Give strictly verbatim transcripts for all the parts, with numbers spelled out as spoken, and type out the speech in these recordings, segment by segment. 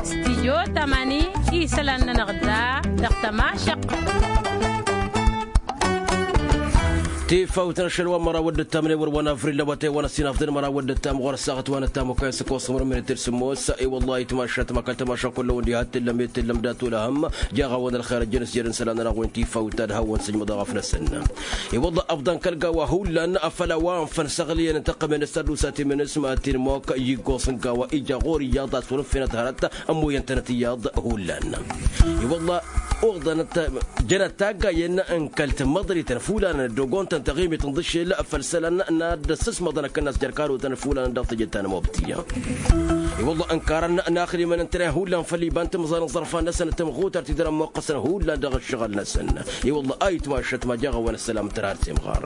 Stijyo tamani isălan-nănăɣ da dăɣ-tămašăq. Tifawt n-ašăl wa n-măraw d-ǝttam n-ewăr wa n-avril lăwătay wa n-ăssinafdăn măraw d-ǝttam ɣur-ăssaɣăt wa n-ăttam okăy n-săkosămăr n-minit d-sǝmmos. I-wălla itmašat ma kăl-tămaša kullăwăn diha t-tǝllăm i-tǝllăm dat-olăhăm. Jaɣ-awăn ălxer ăjjăn s-jărăn isălan-nănăɣ wen tifawt ad-hawăn sǝjmăḍ aɣăf-năsăn. I-wălla ăfḍan kăl-gawa hullan afăl a-wa ănfăn săɣliyăn n-tăqqămen s-ad-usaten imǝnǝs ma t-inmok. Ijgoẓ n-gawa ija ɣur-iyyăḍ a-s wăr-ǝnfenăt hărăt ămmoyăn-tănăt iyyăḍ hullan. I-wălla oḍănăt jănăt taggayen n-kăl-tămmăḍrităn fulanăn ăddogon-tăn taɣimit n-dăšel făll-isălan n-ad-dd-ăssǝsmăḍăn akănnas jer-karotăn fulanăn dăɣ-teje ta n-mobti. I-wălla ănkarăn n-axrimăn n-tren hullan făll-iba n-timẓal n-iẓărfan-năsăn d-tamɣutart-i dăr-ămmoqqăsăn hullan dăɣ-ǝššăɣǝl-năsăn. I-wălla a itmašăt ma jaɣ-awăn ăssălam tărar timɣar.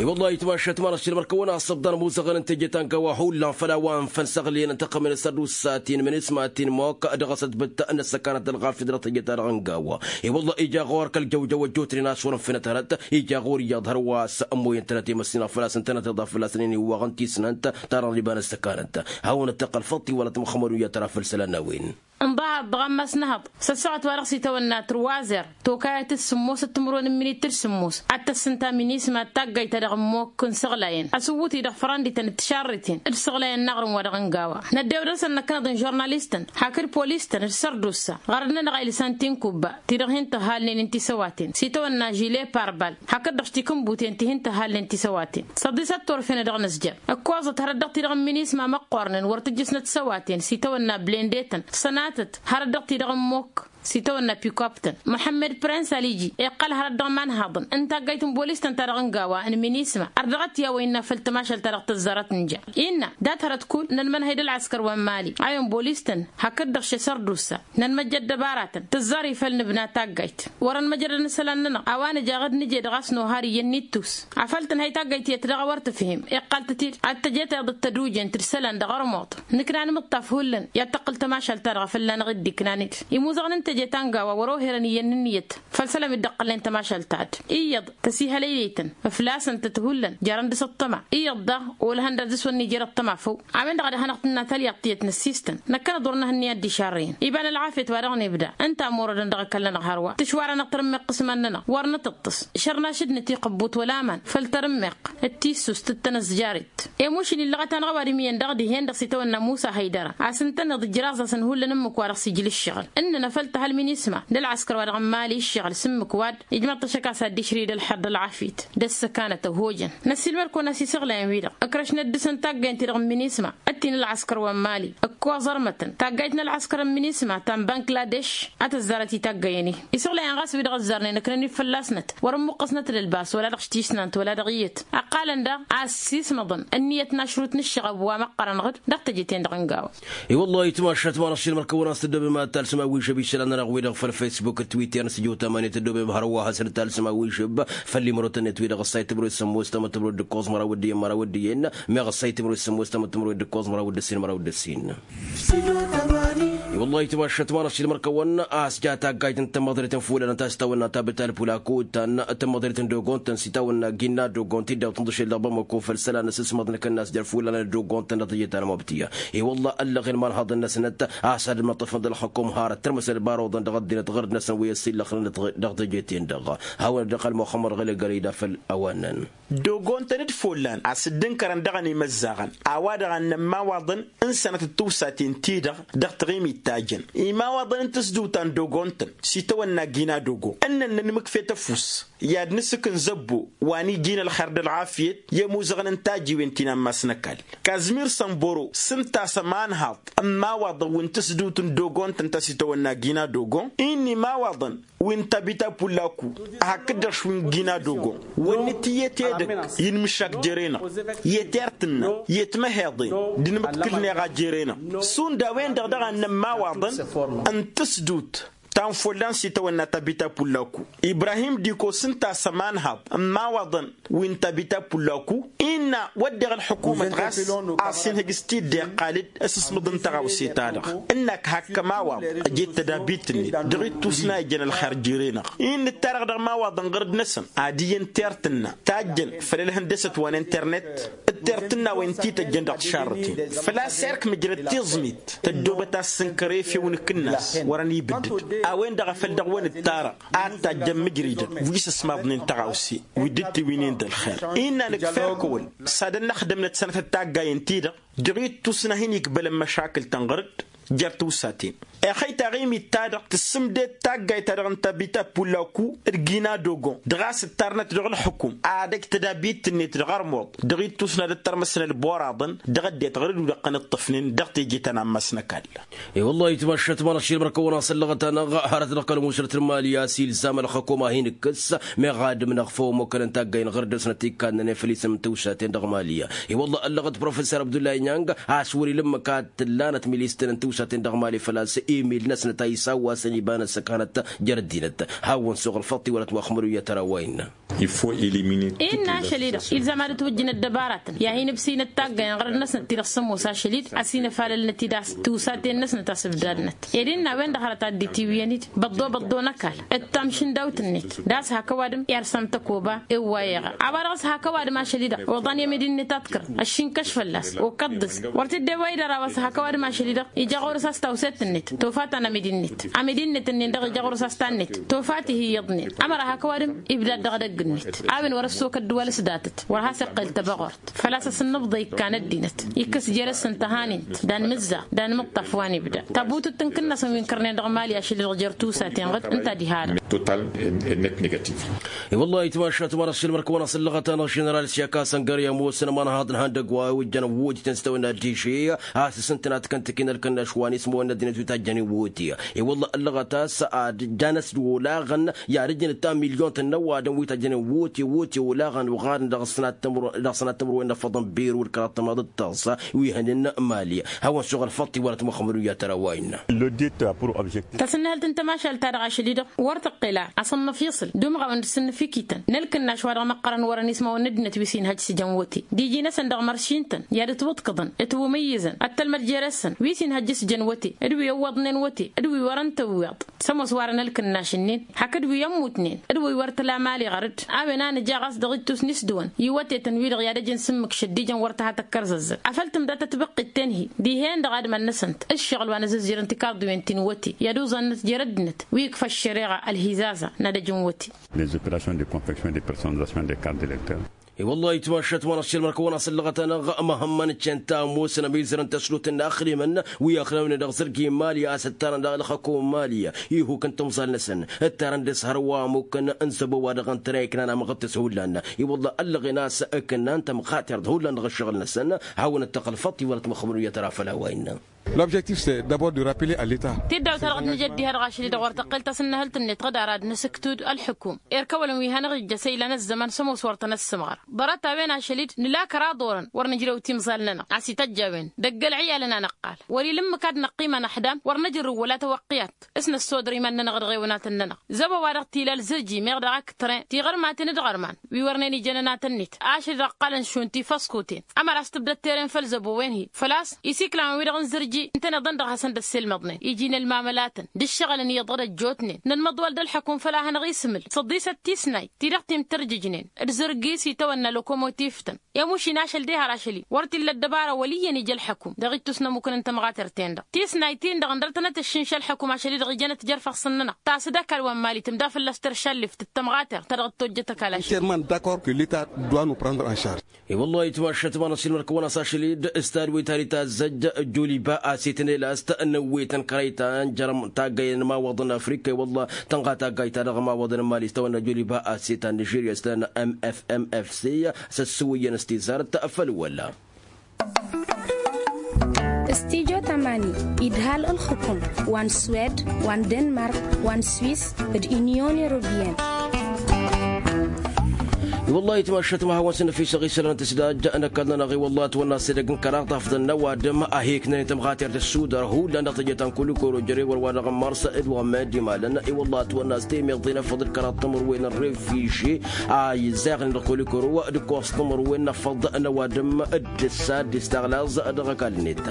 I-wălla a itmašăt ma n-ăššilmăr-kăwăn a-s ăbḍan muzăɣăn n-teje ta n-gawa hullan făll-a-wa ănfăn săɣliyăn n-tăqqămen s-ad-usaten mănisma t-inmok dăɣ-asătbǝt n-ăssăkanăt ălɣafyăt dăɣ-teje-ta-dăɣ n-gawa. I-wălla ija ɣur-kăl-jăwjăw ăjjootnen a-s wăr-ănfenăt hărăt ija ɣur-iyyăḍ hărwa a-s ămmoyăn-tănăt i-măssinăɣ făl-a-s ǝntănăt iḍaf fălla-săn iniwwaɣ n-tisnant. Tarăɣ n-iba n-ăssăkanăt hawăn-ăttiqqăl făṭṭ-i wăla tămxămădun i-ad-tăra făll-isălan n-a-wen. Ǝnḍăhăḍ dăɣ-ammas n-ehăḍ s-ăssaɣăt wa dăɣ-s itawănna trwazer tokayăt d-sǝmmos d-timǝrwen n-minit d-sǝmmos ad-tăssǝnta minisma d-taggayt ta dăɣ-ămmok n-isăɣlayăn ăsǝwwǝt-i dăɣ-fărăndităn d-tišarriten d-isăɣlayăn n-aɣrǝm wa dăɣ-ăngawa. Năddew dăr-săn năkkăneḍ n-žurnalistăn hakd polis-tăn d-sărdusa ɣărăd-nănăɣ a ilsan tinkubba ti-dăɣ hin-tǝhhalnen n-tisăwaten s-itawănna žile parbal hakd-dăɣ tikǝnbuten ti hin-tǝhhalnen tisăwaten săḍisăt turfen dăɣ-nǝzjăr. Ǝkkoẓăt hărăt dăɣ-ti-dăɣ n-minisma măqqornen wăr tǝjjǝsnăt tisăwaten s-itawănna blendetăn sănatăt hărăt dăɣ-ti-dăɣ n-mokk s-itawănna pikoptăn. Muḥămmăd prens aliji iqqăl hărăt dăɣ-imanhaḍăn n-taggayt n-bolis-tăn ta dăɣ-n gawa n-minisma ărdăɣăt i-a-wa innă făll-tămašalt ta dăɣ-tăzzarăt n-ja innă dat-hărăt kull n-ănmănhăy d-ălɣăskăr wa n-mali a-wen bolis-tăn hakd-dăɣ šesăr d-ussa. Nănmăjja ăddăbaratăn tǝzzar ifăl nǝbna taggayt wăr-ănmăjrădăn isălan-nănăɣ a-wa nǝja ad-nǝje dăɣ-a-s nohar iyyăn n-ittus. Afăl tǝnhăy taggayt iyyăt daɣ a wăr tǝfhim iqqăl-tăt-dd ad-tăj etayeḍ d-tădujent d-isălan dăɣ-ărmuḍ. Nǝkna nǝmǝṭṭaf hullan i-ad-tăqqǝl tămašalt-ta-dăɣ fălla-năɣ dd-iknan-dd imuzăɣăn n-teje ta n-gawa wăr-oherăn iyyăn n-ǝnniyăt făll-isălan wi dd-ăqqălnen tămašalt-ta-dd. Iyyăḍ tăsihălăylăy-tăn ǝflasăn-tăt hullan jarăn dăɣ-s ăṭṭăma. Iyyăḍ daɣ olăhăn dăr-s wăr nǝjăr ăṭṭăma făw. A-wen-dăɣ a dăɣ-hanăɣ-tǝnna talyaḍt tiyyăt n-ăssiistăn năkkăneḍ wăr nǝhǝnni ad-dd-išarrǝyăn iba n-ălɣafyăt wa dăɣ-nibda. Ǝnta a ămorădăn dăɣ-ăkall-nănăɣ hărwa tǝšwarăn-aɣ tărǝmmeɣt s-iman-nănăɣ wăr nǝtǝṭṭǝs šărnaš d-nǝtiqǝbbut wăla aman. Făll-tarǝmmeɣt d-tissust d-tanăzjaret. Emušin illăɣăt-anăɣ ăwadǝm iyyăn dăɣ-dihen-dăɣ s-itawănna musa hăydăra a-s ǝntăneḍ ǝjraẓ-asăn hullan ǝmmǝk wa dăɣ-s ijla ǝššăɣǝl ǝnnăn a făl tăha ălminisma d-ălɣăskăr wa dăɣ-n mali ǝššăɣǝl s-ǝmmǝk wa-dd ijmăḍ-t ašăk a-s ad-dd-išrǝy d-ălxer d-ălɣafyăt d-ăssăkanăt ăhojăn. Năssiilmăd-kăwăn-as isăɣlayăn-wi-dăɣ ǝkrăšnăt dăɣ-săn taggayăn-ti-dăɣ n-minisma ăttin ălɣăskăr wa n-mali ǝkkoẓărmătăn taggayt n-ălɣăskăr n-minisma ta n-bangladeš. A tăzzarăt i-taggayăn-i isăɣlayăn ɣas wi-dăɣ ăzzarnen ǝknăn-dd fălla-snăt wăr-ǝmmuqqăsnăt d-ălbas wăla dăɣ-tisnant wăla dăɣ-iyyăt. Ăqqalăn daɣ a ăssiismăḍăn ǝnniyăt n-ašrut n-ǝššăɣăb wa măqqărăn ɣǝd dăɣ-teje-ten-dăɣ n-gawa. I-wăllah itmašat ma n-aššilmăr-kăwăn a-s tǝddobem ad-talsǝm awižăb i-isălan-nănăɣ wi-dăɣ făll-facebook d-twitter n-sǝjǝw tamani tǝddobem hărwa hasăn-talsǝm awižăb făll-imărotăn-net wi-dăɣ ăssay timǝrwe d-sămmos tamăt timǝrwe d-ǝkkoẓ măraw d-iyyăn mera ăssay timǝrwe d-sămmos tamăt timǝrwe d-ǝkkoẓ măraw d-ǝssin măraw d-ǝssin. I-wăllah itmašat ma n-aššilmăr-kăwăn a-s ja taggayt n-tămmăḍret n-fulanăn ta s-tawănna ta bǝtal pulaku ta n-tămmăḍret n-dogon-tăn s-itawănna ginna dogon tidawt n-dăšel dăɣ-bamako făll-isălan n-asǝsmăḍ n-akănnas jer-fulanăn d-dogon-tăn dăɣ-teje ta n-mobtiya. I-wăllah ăllăɣen ma n-haḍăn-năsnăt a-s ad-măṭṭăfăn d-ălxăkum har ăttărmăsăn ălbarăwăḍăn dăɣ-ăddinăt ɣărd-năsăn wi ăssillăxnăn dăɣ-teje-ten-dăɣ. Hawăn-dd-iqqăl muxămmăd ɣǝlăgărăy da făll-a-wa ǝnnăn. Dogon-tăn d-follan a-s dd-ǝnkărăn dăɣ-ănimăzzaɣăn a-wa-dăɣ a ǝnnăn imawaḍăn n-sănătăt tiwsaten-ti-dăɣ dăɣ-taɣimit ta jăn imawaḍăn n-tǝsdǝwt ta n-dogon-tăn s-itawănna gina dogon ǝnnăn nănmǝkfet ăfuss i-ad-nǝsǝk n-zăbbo wa n-iji n-ălxer d-ălɣafyăt i-ămuzăɣăn n-tajiwen ti n-ammas n-ăkall. Kazmir sănboro s-ǝnta a-s ămanhaḍ n-imawaḍăn wi n-tǝsdǝwt n-dogon-tăn ta s-itawănna gina dogon-i n-imawaḍăn wi n-tabita pullaku hakd-dăɣ šwi n-gina dogon wăr nǝtǝyyăt edăgg i-inmǝššak jere-năɣ i-tertǝnna i-timăheḍen d-inmǝḍkǝlneɣ a jere-năɣ. Šund a-wen-dăɣ daɣ a ǝnnăn imawaḍăn n-tǝsdǝwt N-follan s-itawănna tabita pullaku ibrahim dikos ǝnta a-s ămanhaḍ n-imawaḍăn wi n-tabita pullaku innă wădden ălḥukumăt ɣas a-s inhǝj s-tidde iqqal-dd ăsǝsmǝḍ n-tăɣawse-ta-dăɣ ǝnnak hak ămawaḍ ăjet tădabit-net dăɣ-ittusna ijăn ălxer jere-năɣ innă ǝttarăɣ dăɣ-imawaḍăn ɣărăt-năsăn ad-iyyăn tirtǝnna tajjăn făll-ălhăndăsăt wa n-internet d-tirtǝnna wen ti tăjjăn dăɣ-tišarrăten făl-a-s erk mǝjrăd tiẓmit tăddoobăt a-s sǝnkăr efew n-akǝnnas wărăn ibǝddǝd a-wen-dăɣ a făl dăɣ-wen ǝttarăɣ ad-tajjăn mǝjridăn wi s-ăsmaḍnen tăɣawse wi dd-tiwǝynen d-ălxer innă nǝkfa erk ăwăl s-ad-ănnăxdămnăt sănătăt taggayen-ti-dăɣ dăɣ-ittus n-ad-hin-ikbălăn măšakǝl-tăn ɣăr-dd jer-tiwsaten ixăy taɣimit-ta-dăɣ tǝssǝmded taggayt-ta-dăɣ n-tabita pullaku d-gina dogon dăɣ-a-s ǝttarnăt dăɣ-ălxǝkum ad-ăj tădabit-net dăɣ-armuḍ dăɣ-ittus n-ad-ăttărmăsăn ălboraḍăn dăɣ-ăddinăt ɣur-dd wi dăɣ-tăn-ǝṭṭǝfnen dăɣ-teje ta n-ammas n-ăkall. I-wăllah itmašat ma n-ašil mărkăwăn-asăn lăɣăt-anăɣ hărăt dăɣ-kăl-musrăt n-mali a-s ilzam ălxǝkum ad-hin-ǝkkǝs meɣ adǝm-năɣ făw ămmukălăn taggayen ɣur-dd-săn ătikannănen făll-isǝm n-tiwsaten dăɣ-mali. I-wăllah ăllăɣăt professor abdullah inyang a-s wăr-ila ǝmmǝk ad-t-ǝllanăt milisten n-tiwsaten dăɣ-mali făl-a-s imil-năsnăt a isawwasăn iba n-ăssăkanăt jer-ăddinăt. Hawăn-suɣ ălfăṭṭ iwălăt muxmăd uyyăt ara wa innă. Innă ašăl-i-dăɣ ilzam ad-ătwǝjjǝn ăddăbaratăn i-ad-hin-ǝbsǝynăt taggayen ɣărăt-năsnăt-ti-dăɣ sămoos ašăl-i-dăɣ ăsinăfalălnăt-i d-ass tiwsaten-năsnăt a-s ǝbdadnăt ed innă a-wen-dăɣ hărăt ad-dd-itiwǝyăn-dd băḍḍo-băḍḍo n-ăkall d-tamšǝndawt-net d-a-s hak ăwadǝm irsam tăkoba ewwa iɣa a-wa dăɣ-s hak ăwadǝm ašăl-i-dăɣ oḍan i-amidi-net aḍkărăn ăššinkăš fălla-s okăḍḍǝs wăr t-dd-ewwăy d-ăra wa s-hak ăwadǝm ašăl-i-dăɣ ija ɣur-s a-s tawset-net tofa ta n-amidi-net amidi-net-ǝnnin-dăɣ ija ɣur-s a-s ta-net tofa tihiyyăḍnen ămăra hak ăwadǝm ibdad dăɣ-edăgg-net a-wen wăr-ăssokăt d-wăl-s datăt wăr has-iqqel tăbăɣort făl-a-s ăsǝnnǝbḍăy ikkan ăddinăt ikkăs jer-s n-tăhanint d-anmǝzzaɣ d-anmǝṭṭaf wa n-ibda tabutǝt n-kǝnnasăn wi n-kărnen dăɣ-mali ašăl-i-dăɣ jer-tusaten ɣǝd ǝnta diha-dăɣ. I-wăllah itmašat ma n-ašil mărkăwăn-asăn lăɣăt-anăɣ ženeral s-i-ăkasăn găr i-ămoosăn ămanhaḍ n-ihăndăgg wa ojjăn ăwwotităn s-tawănna diše a-s s-ǝntănat kăn-tăkăyăn ălkănnaš wa n-ismăwăn n-ăddinăt wi tajjăn iwwoti. I-wălla ăllăɣăt a-s ad-jan ăsdăwălaɣăn i-ad-ǝjǝn ǝttan milyon-tăn n-ăwadǝm wi tajjăn iwwoti iwwoti olaɣăn uɣadăn dăɣ-sănat tămăro dăɣ-sănat tămăro wa innă ăffăḍăn biru d-kăraḍ tămaḍ d-taẓa wi hănen n-mali. Hawăn-suɣ ălfăṭṭ iwălăt muxămăd uyyăt ara wa innă. L-odit pur object. Tasǝnnǝhǝlt n-tamašalt-ta-dăɣ ašăl-i-dăɣ wăr tǝqqǝl a asǝnnăf iṣǝl d-umɣawăn d-sǝnnǝf ikităn n-ălkǝnnaš wa dăɣ-măqqărăn wărăn ismawăn n-ăddinăt wi s-inhăj s-ijăn wote d-iji-năsăn dăɣ-măršin-tăn i-ad-ǝtwǝḍkǝḍăn ǝtwǝmǝyyǝzăn ăttălmăd jere-săn wi s-inhăj s-ijăn wote d-wi ăwwăḍnen wote d-wi wărăn tǝwweḍ sămoos warăn ălkǝnnaš-ǝnnin hakd wi ămmutnen d-wi wăr tǝla mali ɣăr-dd. A-wen a nǝja ɣas dăɣ-ittus n-isdǝwăn iwătetăn-wi-dăɣ i-ad-ăjǝn s-ǝmmǝk šăddijăn wăr tăha tăkkărzăzzăt afăl tǝmda tătbǝqqit tenhi dihen-dăɣ adǝm-ad-năsăn-t ǝššăɣǝl wa n-azǝzzirăn tikarḍiwen ti n-iwăte i-ad-uẓannăt jer-ăddinăt wi ǝkfa ăššăreɣa ălhizaza n-ad-ăjǝn wăte. Les operations de confection de personnalisation des cartes d'électeurs. I-wăllah itmašat ma n-ašăl mărkăwăn-asăn lăɣăt-anăɣ măhămmăn ǝccen ta ămoosăn ămizărăn tăslut n-inaxdimăn wi ăxnawnen dăɣ-zărgi n-mali a-s ǝttarăn daɣ ălxăkum n-mali ihuk n-timẓal-năsăn ǝttarăn dăɣ-s hărwa ămmukăn n-zăbo wa dăɣ-ǝntăna iknan amăɣ d-tǝshullan. I-wăllah ăllăɣen a-s ǝknan tămɣatert hullan dăɣ-ǝššăɣǝl-năsăn. Hawăn-dd-tăɣ ălfăṭṭ iwălăt măxmăr uyyăt ara făll-a-wa innă. L'objectif c'est d'abord de rappeler à leta. Tiddawt-ta-dăɣ d-nǝja ăddihăt ɣašăl-i-dăɣ wăr tăqqel tasǝnnăhălt-net ɣǝd ara d-nǝsǝktǝwd ălḥǝkum erk ăwălăn wi hanăɣ-ija s-e-ilan ăzzăman s-ămoos wăr tăn-ăssǝmɣăr. Ḍarăt-a-wen ašăl-i-dd nǝla kăraḍ orăn wăr nǝjrew timẓal-nănăɣ a-s ităjj a-wen dăgg-ălɣiyalăn a năqqal wăr-ila ǝmmǝk ad-năqqim anăxdam wăr năjrǝw wăla tawăqqiyat s-năssodăr iman-nănăɣ d-iɣewnatăn-nănăɣ. Zăbo-wa-dăɣ tila ălzărji meɣ dăɣ-ak tren tiɣărmaten d-iɣărman wi wărnen ijăn ănatăn-net ašăl-i-dăɣ ǝqqalăn šund tifăskuten ămăra a-s tǝbdăd tere n-făll-zăbo-wen-hi făl-a-s isiklan wi-dăɣ n-zărji ǝntăneḍ-ăndăɣ hasăn-dd-ăsselmăḍnen iji n-ălmamălatăn d-ǝššăɣǝlăn iyyăḍ ad-ăjjootnen nănmăḍwăl d-ălḥăkum făll-a hanăɣ-ismǝl săḍisăt tisnayt ti-dăɣ timtărjǝjnen d-zărgi s-itawănna lokomotiv-tăn. I-ămušin ašăl d-ehăr ašăl-i wăr t-illa ăddăbara wăl' iyyăn ija ălḥăkum dăɣ-ittus n-ămmukăn n-tămɣatert-en-dăɣ tisnayt-in-dăɣ ǝndăr-tănăt ăššinša ălḥăkum ašăl-i-dăɣ ijănăt jer-făɣsăn-nănăɣ tas d-ăkall wa n-mali tǝmda fălla-s terša ălleft d-tămɣatert ta dăɣ-dd-tojjăt ăkall ašăl. I-wăllah itmašat ma n-ašăl mărkăwăn-as ašăl-i-dd s-tadwăyt ta d-itazzăj joliba asetăn elas-t n-ăwwetăn kărăy ta n-jărăm taggăyăn n-imawaḍăn n-afrika i-wăllah tănɣa taggayt ta dăɣ-imawaḍăn n-mali s-tawănna joliba aset ta n-nižirya s-tănna mfmfc s-ăssǝwǝyyăn s-tizart făll-wăla. Stijo tamani idhal ǝlxǝkum wa n-swed wa n-denmark wa n-swis d-inyon europiyăn. I-wălla-hi ătmašat ma hawăn-săn ăfisăɣ isălan tǝsdajja n-ăkall-nănăɣ i-wălla ătwănna s-edăgg n-kăraḍ tafḍăn n-ăwadǝm a hi-ǝknăn i-tămɣater tǝssudăr hullan dăɣ-tejăt ta n-kulikoro jere wăr-wa-dăɣ n-mars d-wa n-mad imalăn i-wălla ătwănna s-temeḍe n-afăḍ d-kăraḍ timǝrwen n-refiže a izzayăɣnen dăɣ-kulikoro d-ǝkkoẓ timǝrwen n-afăḍ n-ăwadǝm d-ǝssa d-istaɣlaẓ dăɣ-ăkall-net.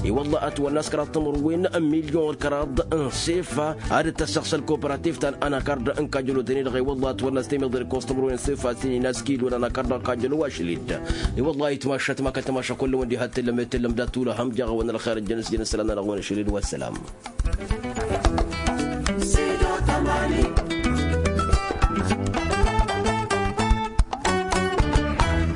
I-wălla ătwănna s-kăraḍ timǝrwen n-milyon d-kăraḍ n-sefa ad-dd-tăssăɣsăl kooperativ ta n-anakard n-kajălotăn-i-dăɣ i-wălla ătwănna s-temeḍe d-ǝkkoẓ timǝrwen n-sefa s-inin a-s kilo n-anakard n-kajălo ašăl-dd. I-wălla-hi ătmašat ma kăl-tămaša kull-wăn diha t-tǝllăm i-tǝllăm dat-tulăhăm jaɣ-awăn ălxer ăjjăn s-jăn ǝssălan-nănăɣ-wăn ašăl-dd wa ăssălam.